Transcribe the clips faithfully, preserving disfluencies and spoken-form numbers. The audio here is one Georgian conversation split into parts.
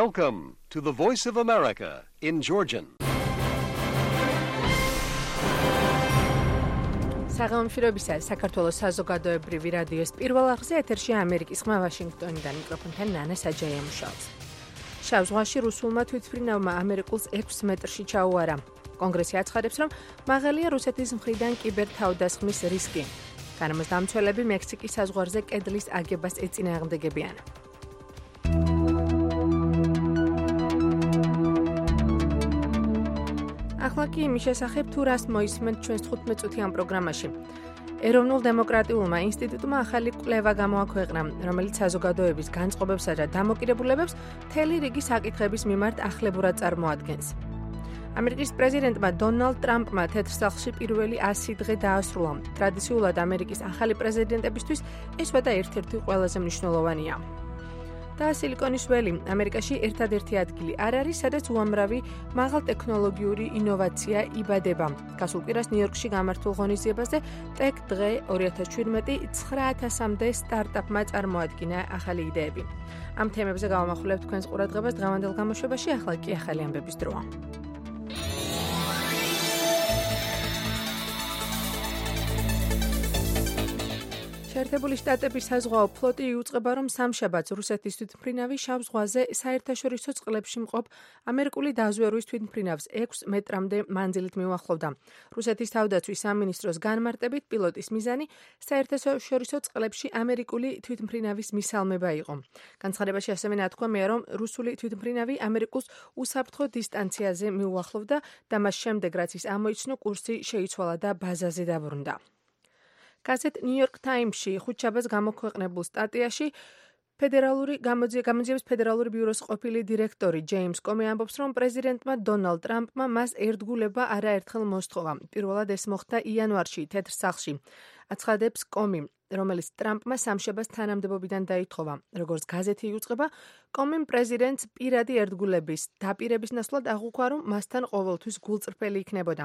Welcome to the Voice of America in Georgian. საღამომშვიდობისა საქართველოს საზოგადოებრივი რადიოს პირველ არხზე ეთერშია ამერიკის ხმა ვაშინგტონიდან მიკროფონთან ნანა საჯაია მუშაობს. შავ ზღვაში რუსულმა თვითმფრინავმა ამერიკულს ექვს მეტრში ჩაუარა. კონგრესი აცხადებს, რომ მაღალია რუსეთის მხრიდან კიბერთავდასხმის რისკი. განმასდამცველები მექსიკის საზღვარზე კედლის აგებას ეწინააღმდეგებიან. ახლა კი იმის შესახებ თუ რას მოისმენთ ჩვენს თხუთმეტ წუთიან პროგრამაში. ეროვნულ დემოკრატიულმა ინსტიტუტმა ახალი კვლევა გამოაქვეყნა, რომელიც საზოგადოების განწყობებსა და დამოკიდებულებებს მთელი რიგი საკითხების მიმართ ახლებურად წარმოადგენს. ამერიკის პრეზიდენტმა დონალდ ტრამპმა თეთრ სახლში პირველი ასი დღე დაასრულა. ტრადიციულად ამერიკის ახალი პრეზიდენტებისთვის ეს ვადა ერთ-ერთი ყველაზე მნიშვნელოვანია. და სილიკონის ველი ამერიკაში ერთადერთი ადგილი არ არის, სადაც უამრავი მაღალტექნოლოგიური ინოვაცია იბადება. გასულ კვირას ნიუ-იორკში გამართულ ღონისძიებაზე ტექ დღე ორი ათას შვიდმეტი ცხრა ათასამდე სტარტაპმა წარმოადგინა ახალი იდეები. ამ თემებზე გავამახვილებთ თქვენს ყურადღებას დღევანდელ გამოშვებაში, ახლა კი ახალი ამბების დროა. შეერთებული შტატების საზღვაო ფლოტი იუწყება, რომ სამშაბათს რუსეთის თვითმფრინავი შავ ზღვაზე საერთაშორისო წყლებში მყოფ ამერიკული დაზვერვის თვითმფრინავს ექვს მეტრამდე მანძილით მიუახლოვდა. რუსეთის თავდაცვის სამინისტროს განმარტებით პილოტის მიზანი საერთაშორისო წყლებში ამერიკული თვითმფრინავის მისალმება იყო. განცხადებაში ასევე ნათქვამია, რომ რუსული თვითმფრინავი ამერიკულს უსაფრთხო დისტანციაზე მიუახლოვდა და მას შემდეგ, რაც ის ამოიცნო, კურსი შეიცვალა და ბაზაზე დაბრუნდა. გაზეთ ნიუ-იორკ ტაიმსში ხუთშაბათს გამოქვეყნებულ სტატიაში ფედერალური გამოძიების ფედერალური ბიუროს ყოფილი დირექტორი ჯეიმს კომი ამბობს, რომ პრეზიდენტმა დონალდ ტრამპმა მას ერთგულება არაერთხელ მოსთხოვა. პირველად ეს მოხდა იანვარში თეთრ სახლში. აცხადებს კომი, რომელიც ტრამპმა სამშაბათს თანამდებობიდან დაითხოვა. როგორც გაზეთი იუწყება, კომიმ პრეზიდენტს პირადი ერთგულების დაპირების ნაცვლად აღუქვა, რომ მასთან ყოველთვის გულწრფელი იქნებოდა.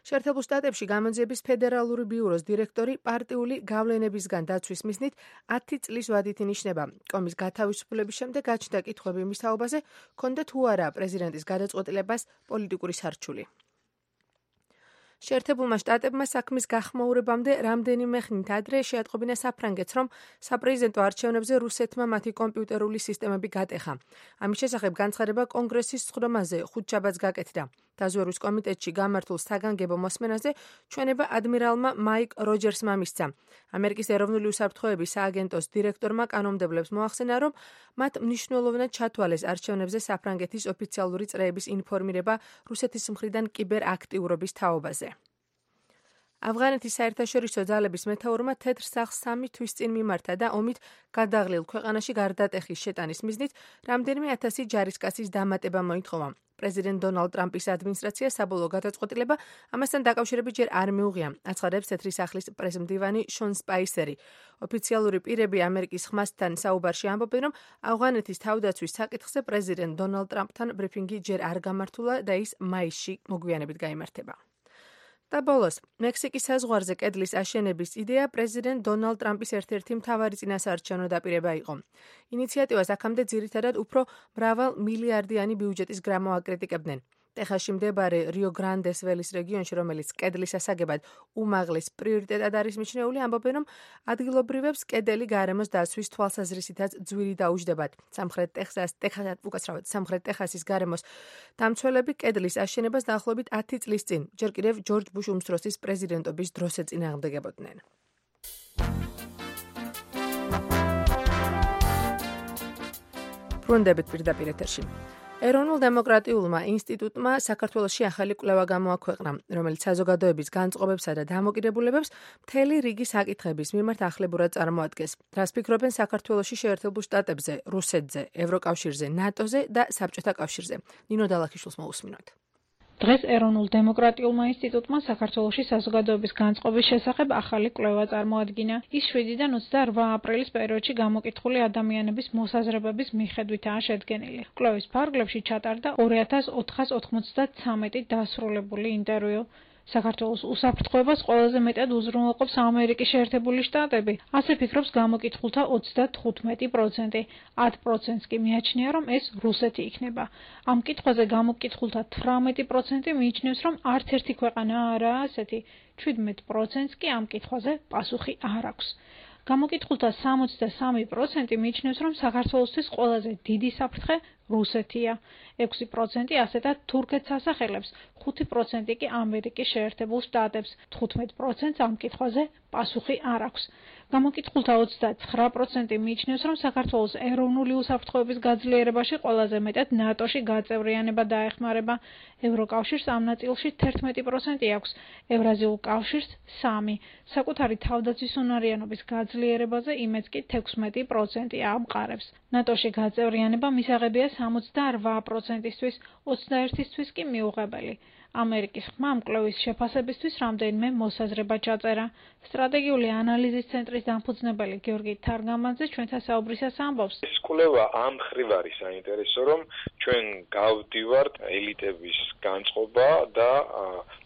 შეერთებულ შტატებში გამოძიების ფედერალური ბიუროს დირექტორი პარტიული გავლენებისგან დაცვის მიზნით ათი წლის ვადით ინიშნება. კომის გათავისუფლების შემდეგ გაჩნდა კითხვები იმის თაობაზე, ქონდა თუ არა პრეზიდენტის გადაწყვეტილებას პოლიტიკური სარჩული. შეერთებულმა შტატებმა საქმის გახმაურებამდე რამდენიმე ხნით ადრე შეატყობინა საფრანგეთს, რომ საპრეზიდენტო არჩევნებზე რუსეთმა მათი კომპიუტერული სისტემები გატეხა. ამის შესახებ განცხადება კონგრესის სხდომაზე ხუთშაბათს გაკეთდა. დაზვერვის კომიტეტში გამართულ საგანგებო მოსმენაზე ჩვენება ადმირალმა მაიკ როჯერსმა მისცა. ამერიკის ეროვნული უსაფრთხოების სააგენტოს დირექტორმა კანონმდებლებს მოახსენა, რომ მათ მნიშვნელოვნად ჩათვალეს არჩევნებზე საფრანგეთის ოფიციალური წრეების ინფორმირება რუსეთის მხრიდან კიბერაქტიურობის თაობაზე. ავღანეთის საერთაშორისო ძალების მეთაურმა თეთრ სახლს სამი თვის წინ მიმართა და ომით გადაღლილ ქვეყანაში გარდატეხის შეტანის მიზნით რამდენიმე ათასი ჯარისკაცის დამატება მოითხოვა. პრეზიდენტ დონალდ ტრამპის ადმინისტრაცია საბოლოო გადაწყვეტილება ამასთან დაკავშირებით ჯერ არ მიუღია, აცხადებს თეთრი სახლის პრესმდივანი შონ სპაისერი. ოფიციალური პირები ამერიკის ხმასთან საუბარში ამბობენ, რომ ავღანეთის თავდაცვის საკითხზე პრეზიდენტ დონალდ ტრამპთან ბრიფინგი ჯერ არ გამართულა და ის მაისში მოგვიანებით გაიმართება. და ბოლოს, მექსიკის საზღვარზე კედლის აშენების იდეა პრეზიდენტ დონალდ ტრამპის ერთ-ერთი მთავარი წინასაარჩევნო დაპირება იყო. ინიციატივას აქამდე ძირითადად უფრო მრავალ მილიარდიანი ბიუჯეტის გრამო აკრიტიკებდნენ. ტეხასში მდებარე რიო გრანდეს ველის რეგიონში, რომელიც კედლის ასაგებად უმაღლეს პრიორიტეტად არის მიჩნეული, ამბობენ, რომ ადგილობრივებს კედელი გარემოს დაცვის თვალსაზრისითაც ძვირი დაუჯდებათ. სამხრეთ ტეხასის უკაცრავად სამხრეთ ტეხასის გარემოს დამცველები კედლის აშენებას დაახლოებით ათი წლის წინ, ჯერ კიდევ ჯორჯ ბუშ უმცროსის პრეზიდენტობის დროს ეწინააღმდეგებოდნენ. ბრუნდებით პირდაპირ ეთერში. ეროვნულ დემოკრატიულმა ინსტიტუტმა საქართველოში ახალი კვლევა გამოაქვეყნა, რომელიც საზოგადოების განწყობებსა და დამოკიდებულებებს მთელი რიგი საკითხების მიმართ ახლებურად წარმოადგენს. რას ფიქრობენ საქართველოში შეერთებულ შტატებზე, რუსეთზე, ევროკავშირზე, ნატოზე და საბჭოთა კავშირზე. ნინო დალაქიშვილს მოусმინოთ. დღეს ეროვნულ დემოკრატიულმა ინსტიტუტმა საქართველოში საზოგადოების განწყობის შესახებ ახალი კვლევა წარმოადგინა. ის შვიდიდან ოცდაორმა აპრილის პერიოდში გამოკითხული ადამიანების მოსაზრებების მიხედვითაა შედგენილი. კვლევის ფარგლებში ჩატარდა ორი ათას ოთხას ოთხმოცდათრამეტი დასრულებული ინტერვიუ. საქართველოს უსაფრთხოებას ყველაზე მეტად უზრუნველყოფს ამერიკის შეერთებული შტატები, ასე ფიქრობს გამოკითხულთა ოცდათხუთმეტი პროცენტი. ათ პროცენტს კი მიაჩნია, რომ ეს რუსეთი იქნება. ამ კითხვაზე გამოკითხულთა თვრამეტი პროცენტი მიიჩნევს, რომ არც ერთი ქვეყანა არაა ასეთი. შვიდმეტ პროცენტს კი ამ კითხვაზე პასუხი არ აქვს. გამოკითხულთა სამოცდასამი პროცენტი მიიჩნევს, რომ საქართველოსთვის ყველაზე დიდი საფრთხე რუსეთია. ექვსი პროცენტი ასეთად თურქეთს ასახელებს, ხუთი პროცენტი კი ამერიკის შეერთებულ შტატებს, თხუთმეტ პროცენტს ამ კითხვაზე პასუხი არ აქვს. გამოკითხულთა ოცდაცხრა პროცენტი მიიჩნევს, რომ საქართველოს ეროვნული უსაფრთხოების გაძლიერებაში ყველაზე მეტად ნატოში გაწევრიანება დაეხმარება. ევროკავშირს ამ ნაწილში თერთმეტი პროცენტი აქვს, ევრაზიულ კავშირს სამი. საკუთარი თავდაცვის უნარიანობის გაძლიერებაზე იმედს კი თექვსმეტი პროცენტი ამყარებს. ნატოში გაწევრიანება მისაღებია სამოცდარვა პროცენტისთვის, ოცდაერთისთვის კი მიუღებელი. ამერიკის ხმამ კვლევის შეფასებისთვის რამდენიმე მოსაზრება ჩაწერა. სტრატეგიული ანალიზის ცენტრის დამფუძნებელი გიორგი თარგამაძე ჩვენთან საუბრისას ამბობს. ეს კვლევა ამ მხრივ არის საინტერესო, რომ ჩვენ გავდივართ ელიტების განწყობა და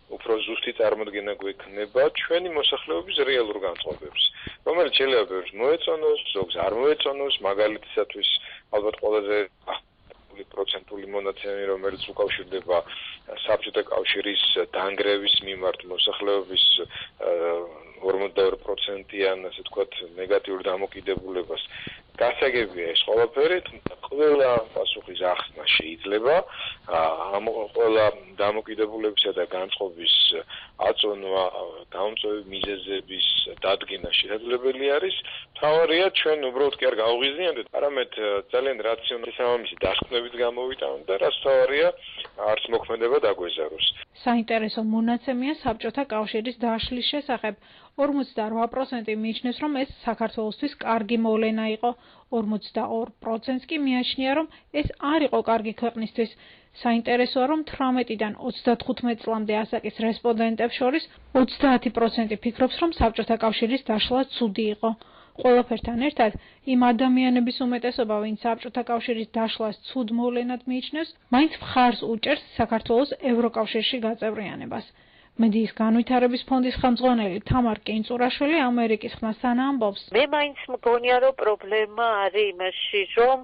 უფრო ზუსტი წარმოდგენა გვექნება ჩვენი მოსახლეობის რეალურ განწყობებს, რომელიც შეიძლება ბევრს მოეწონოს, ზოგს არ მოეწონოს, მაგალითისათვის ალბათ ყველაზე პროცენტული მონაცემი, რომელიც უკავშირდება საბჭოთა კავშირის დანგრევის მიმართ მოსახლეობის ორმოცდაორი პროცენტიან, ასე ვთქვათ, ნეგატიურ დამოკიდებულებას. გასაგებია ეს ყველაფერი, თუმცა ყველა პასუხის ახსნა შეიძლება, ამ ყველა დამოკიდებულებისა და განწყობის აწონვა, გამომწვევი მიზეზების დადგენა შესაძლებელი არის. მთავარია ჩვენ უბრალოდ კი არ გავღიზიანდეთ, არამედ ძალიან რაციონალური სამამისი დასკვნებით გამოვიტანოთ და რაც მთავარია, არც მოქმედება დაგვეზაროს. საინტერესო მონაცემია საბჭოთა კავშირის დაშლის შესახებ. ორმოცდარვა პროცენტი მიიჩნევს, რომ ეს საქართველოსთვის კარგი მოვლენა იყო. ორმოცდაორ პროცენტს კი მიაჩნია, რომ ეს არ იყო კარგი ქვეყნისთვის. საინტერესოა, რომ თვრამეტიდან ოცდათხუთმეტ წლამდე ასაკის რესპონდენტებს შორის ოცდაათი პროცენტი ფიქრობს, რომ საბჭოთა კავშირის დაშლა ცუდი იყო. ყველაფერთან ერთად, იმ ადამიანების უმეტესობა, ვინც საბჭოთა კავშირის დაშლას ცუდ მოვლენად მიიჩნევს, მაინც მხარს უჭერს საქართველოს ევროკავშირში გაწევრიანებას. მედიის განვითარების ფონდის ხელმძღვანელი თამარ კინწურაშვილი ამერიკის ხმასთან ამბობს. მე მაინც მგონია, რომ პრობლემა არის იმაში, რომ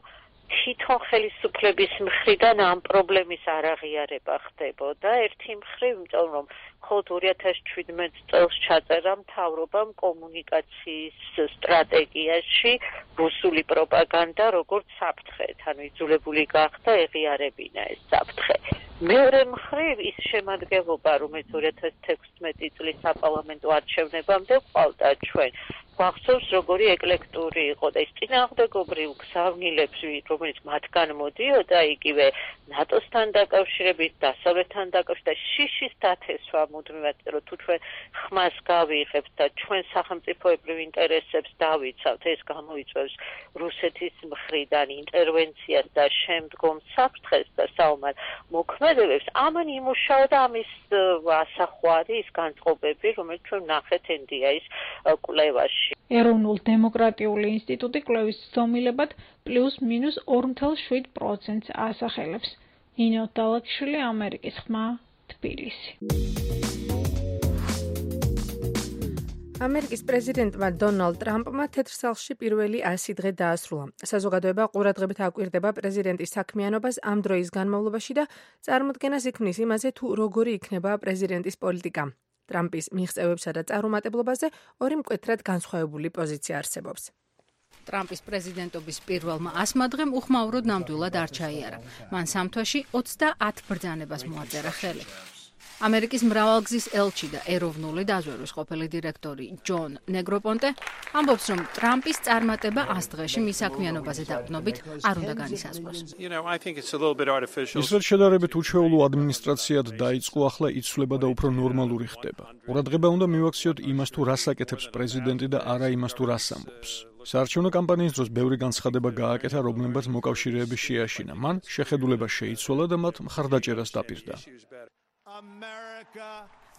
თვითონ ხელისუფლების მხრიდან ამ პრობლემის არაღიარება ხდებოდა. ერთი მხრივ, იმიტომ რომ მხოლოდ ორი ათას შვიდმეტ წელს ჩაწერა მთავრობამ კომუნიკაციის სტრატეგიაში რუსული პროპაგანდა როგორც საფრთხე, ანუ იძულებული გახდა ეღიარებინა ეს საფრთხე. მეორე მხრივ ის შემადგენლობა, რომელიც ორი ათას თექვსმეტი წლის საპარლამენტო არჩევნებამდე ყავდა ჩვენ, გვახსოვს როგორი ეკლექტური იყო და ის წინააღმდეგობრივ გზავნილებს, რომელიც მათგან მოდიოდა, იგივე ნატოსთან დაკავშირებით, დასავლეთთან დაკავშირებით და შიშის დათესვა მუდმივად, რომ თუ ჩვენ ხმას გავიღებთ და ჩვენ სახელმწიფოებრივ ინტერესებს დავიცავთ, ეს გამოიწვევს რუსეთის მხრიდან ინტერვენციას და შემდგომ საფრთხეს და საომარ მოქმედებებს. ამან იმუშაოდა ამის ასახვარი, ის განწყობები, რომელიც ჩვენ ვნახეთ ენ დი ეის კვლევაში. ეროვნულ დემოკრატიული ინსტიტუტი კვლევის ცდომილებად პლუს მინუს ორი ათას შვიდ პროცენტს ასახელებს. ნინო დალაკვიშვილი, ამერიკის ხმა, თბილისი. ამერიკის პრეზიდენტმა დონალდ ტრამპმა თეთრ სახლში პირველი ასი დღე დაასრულა. საზოგადოება ყურადღებით აკვირდება პრეზიდენტის საქმიანობას ამ დროის განმავლობაში და წარმოდგენას იქმნის იმაზე, თუ როგორი იქნება პრეზიდენტის პოლიტიკა. ტრამპის მიღწევებსა და წარუმატებლობაზე ორი მკვეთრად განსხვავებული პოზიცია არსებობს. ტრამპის პრეზიდენტობის პირველმა ასმა დღემ უხმაუროდ ნამდვილად არ ჩაიარა. მან სამ თვეში ოცდაათ ბრძანებას მოაწერა ხელი. ამერიკის მრავალგზის ელჩი და ეროვნული დაზვერვის ყოფილი დირექტორი ჯონ ნეგროპონტე ამბობს, რომ ტრამპის წარმატება ას დღეში მის საქმიანობაზე დაყრდნობით არ უნდა განისაზღვროს. ის რაც შედარებით უჩვეულო ადმინისტრაციად დაიწყო, ახლა იცვლება და უფრო ნორმალური ხდება. ყურადღება უნდა მივაქციოთ იმას, თუ რას აკეთებს პრეზიდენტი და არა იმას, თუ რას ამბობს. საარჩევნო კამპანიის დროს ბევრი განცხადება გააკეთა, რომლებმაც მოკავშირეები შეაშინა. მან შეხედულება შეიცვალა და მათ მხარდაჭერას დაპირდა.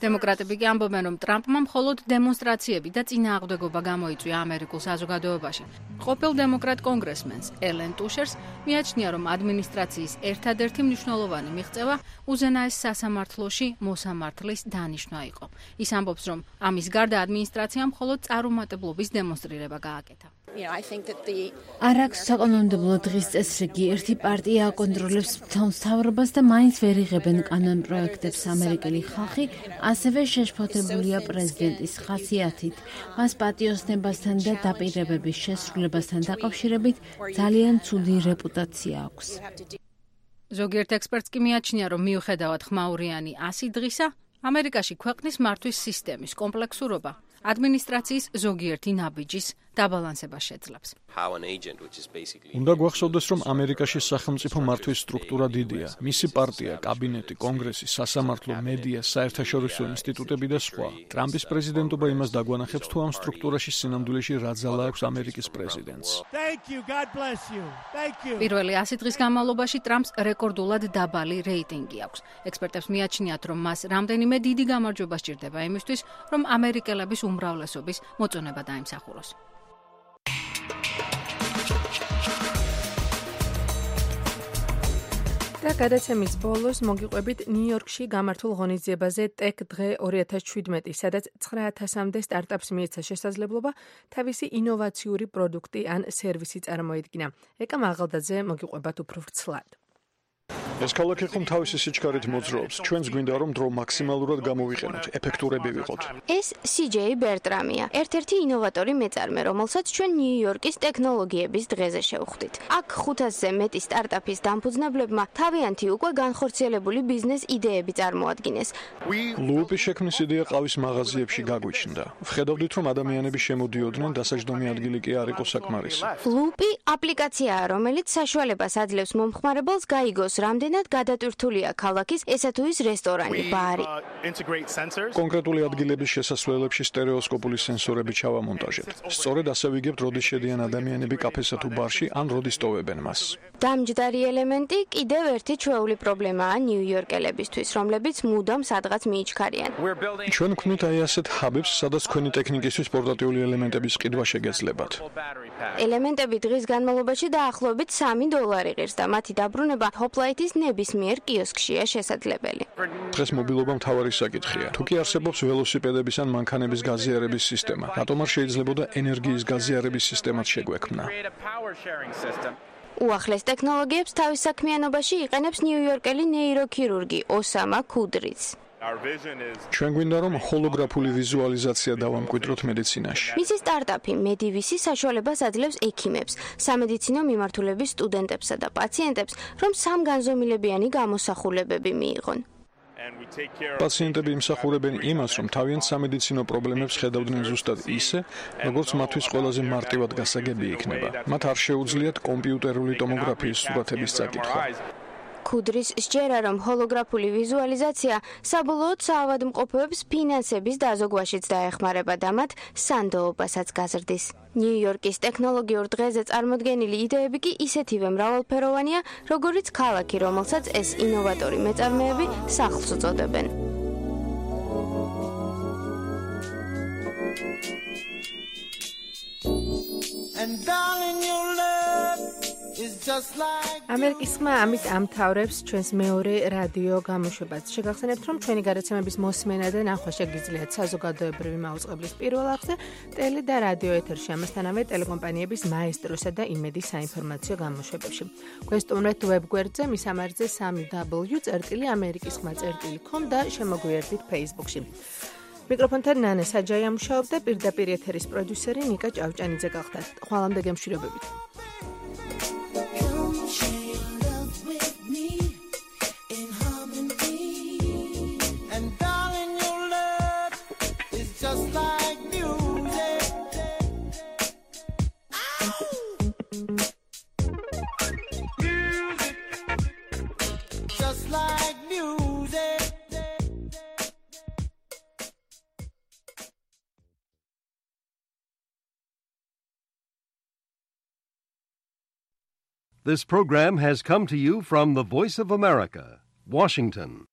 დემოკრატები კი ამბობენ, რომ ტრამპმა მხოლოდ დემონსტრაციები და წინააღმდეგობა გამოიწვია ამერიკულ საზოგადოებაში. ყოფილ დემოკრატ კონგრესმენს ელენ ტუშერს მიაჩნია, რომ ადმინისტრაციის ერთადერთი მნიშვნელოვანი მიღწევა უზენაეს სასამართლოში მოსამართლის დანიშვნა იყო. ის ამბობს, რომ ამის გარდა ადმინისტრაციამ მხოლოდ წარუმატებლობის დემონსტრირება გააკეთა. არ აქვს საკანონმდებლო დღის წესრიგი, ერთი პარტია აკონტროლებს მთავრობას და მაინც ვერ იღებენ კანონ პროექტებს ამერიკელი ხალხი, ასევე შეშფოთებულია პრეზიდენტის ხასიათით. მას პატიოსნებასთან და დაპირებების შესრულებასთან დაკავშირებით ძალიან ცუდი რეპუტაცია აქვს. ზოგიერთ ექსპერტს კი მიაჩნია, რომ მიუხედავად ხმაურიანი ასი დღისა, ამერიკაში ქვეყნის მართვის სისტემის კომპლექსურობა ადმინისტრაციის ზოგიერთი ნაბიჯის დაბალანსებას შეძლებს. უნდა გვახსოვდეს, რომ ამერიკაში სახელმწიფო მართვის სტრუქტურა დიდია. მისი პარტია, კაბინეტი, კონგრესი, სასამართლო, მედია, საერთაშორისო ინსტიტუტები და სხვა. ტრამპის პრეზიდენტობა იმას დაგვანახებს, თუ ამ სტრუქტურაში სინამდვილეში რა ძალა აქვს ამერიკის პრეზიდენტს. პირველი ასი დღის განმავლობაში ტრამპს რეკორდულად დაბალი რეიტინგი აქვს. ექსპერტებს მიაჩნიათ, რომ მას რამდენიმე დიდი გამარჯვება სჭირდება იმისთვის, რომ ამერიკელების უმრავლესობის მოწონება დაიმსახუროს. და გადაცემის ბოლოს მოგიყვებით ნიუ-იორკში გამართულ ღონისძიებაზე ტექ დღე ორი ათას შვიდმეტი, სადაც ცხრა ათასამდე სტარტაპს მიეცა შესაძლებლობა თავისი ინოვაციური პროდუქტი ან სერვისი წარმოედგინა. ეკა მაღალდაძე მოგიყვებათ უფრო ვრცლად. ეს ქალაქი ხომ თავისი სიჩქარით მოძრაობს. ჩვენს გვინდა რომ დრო მაქსიმალურად გამოვიყენოთ, ეფექტურები ვიყოთ. ეს სი ჯეი ბერტრამია, ერთ-ერთი ინოვატორი მეწარმე, რომელსაც ჩვენ ნიუ-იორკის ტექნოლოგიების დღეზე შევხვდით. აქ ხუთასზე მეტი სტარტაპის დამფუძნებლებმა თავიანთი უკვე განხორციელებული ბიზნეს იდეები წარმოადგინეს. ლუპის შექმნის იდეა ყავის მაღაზიებში გაგვიჩნდა. ვხედავდით, რომ ადამიანები შემოდიოდნენ, დასაჯდომი ადგილი კი არ იყო საკმარისი. ლუპი აპლიკაციაა, რომელიც საშუალებას აძლევს მომხმარებელს გაიგოს, რამდენად გადატვირთულია ქალაქის ესა თუ ის რესტორანი, ბარი. კონკრეტული ადგილების შესასვლელებში სტერეოსკოპული სენსორები ჩავამონტაჟებთ. სწორედ ასე ვიგებთ, როდის შედიან ადამიანები კაფესა თუ ბარში, ან როდის ტოვებენ მას. დამჯდარი ელემენტი კიდევ ერთი ჩვეული პრობლემაა ნიუ-იორკელებისთვის, რომლებიც მუდამ სადღაც მიიჩქარიან. ჩვენ გვქნით აი ასეთ ჰაბებს, სადაც თქვენი ტექნიკისთვის პორტატიული ელემენტების ყიდვა შეგეძლებათ. ელემენტები დღის განმავლობაში დაახლოებით სამი დოლარი ღირს და მათი დაბრუნება ჰოპლაითის ნებისმიერ კიოსკშია შესაძლებელი. დღეს მობილობა მთავარი საკითხია. თუ კი არსებობს ველოსიპედების ან მანქანების გაზიარების სისტემა, რატომ არ შეიძლებოდა ენერგიის გაზიარების სისტემაც შეგვექმნა? უახლეს ტექნოლოგიებს თავის საქმიანობაში იყენებს ნიუ-იორკელი ნეიროქირურგი ოსამა ქუდრიც. ჩვენ გვინდა რომ ჰოლოგრაფული ვიზუალიზაცია დავამკვიდროთ მედიცინაში. მისი სტარტაპი მედივისი საშუალებას აძლევს ექიმებს, სამედიცინო მიმართულების სტუდენტებსა და პაციენტებს, რომ სამგანზომილებიანი გამოსახულებები მიიღონ. პაციენტები იმსახურებენ იმას, რომ თავიანთ სამედიცინო პრობლემებს ხედავდნენ ზუსტად ისე, როგორც მათთვის ყველაზე მარტივად გასაგები იქნება. მათ არ შეუძლიათ კომპიუტერული ტომოგრაფიის სურათების წაკითხვა. ქუდრის სჯერა, რომ ჰოლოგრაფული ვიზუალიზაცია საბოლოოდ საავადმყოფოებს ფინანსების დაზოგვაშიც დაეხმარება და მათ სანდოობასაც გაზრდის. ნიუ-იორკის ტექნოლოგიურ დღეზე წარმოდგენილი იდეები კი ისეთივე მრავალფეროვანია, როგორიც ქალაქი, რომელსაც ეს ინოვატორი მეწარმეები სახლს უწოდებენ. ამერიკის ხმა ამით ამთავრებს ჩვენს მეორე რადიო გამოშვებას. შეგახსენებთ, რომ ჩვენი გადაცემების მოსმენა და ნახვა შეგიძლიათ საზოგადოებრივი მაუწყებლის პირველ არხზე, ტელი და რადიო ეთერში, ამასთანავე ტელეკომპანიების მაესტროსა და იმედის საინფორმაციო გამოშვებებში. გვესტუმრეთ ვებგვერდზე, მის ამარხზე სამი დაბლიუ წერტილი ამერიკის ხმა წერტილი კომ და შემოგვიერთდით Facebook-ში. მიკროფონთან ნანა საჯაია მუშაობდა, პირდაპირ ეთერის პროდიუსერი ნიკა ჭავჭანიძე გახდა. ხვალამდე გემშვიდობებით. This program has come to you from the Voice of America, Washington.